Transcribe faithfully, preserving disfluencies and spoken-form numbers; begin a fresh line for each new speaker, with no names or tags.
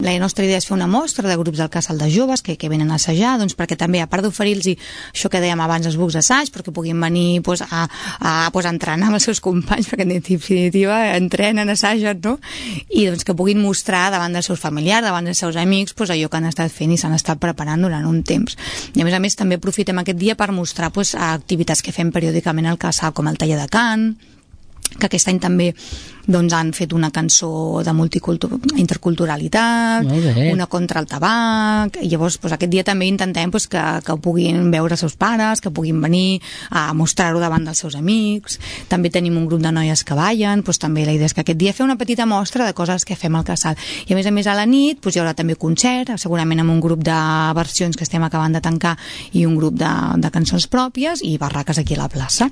la nostra idea és fer una mostra de grups del casal de joves que, que venen a assajar, doncs perquè també, a part d'oferir-los això que dèiem abans, els bucs d'assaig, perquè puguin venir pues, a, a, pues, a entrenar amb els seus companys, perquè en definitiva entrenen, assagen, no? I doncs que puguin mostrar davant dels seus familiars, davant dels seus amics, pues, allò que han estat fent i s'han estat preparant durant un temps. I a més a més també aprofitem aquest dia per mostrar pues, activitats que fem periòdicament al casal, com el taller de cant, que aquest any també doncs, han fet una cançó de interculturalitat, una contra el tabac, i llavors doncs, aquest dia també intentem doncs, que, que ho puguin veure els seus pares, que puguin venir a mostrar-ho davant dels seus amics. També tenim un grup de noies que ballen, doncs, també la idea és que aquest dia fer una petita mostra de coses que fem al casal. I a més a més a la nit doncs, hi haurà també concert, segurament amb un grup de versions que estem acabant de tancar i un grup de, de cançons pròpies i barraques aquí a la plaça.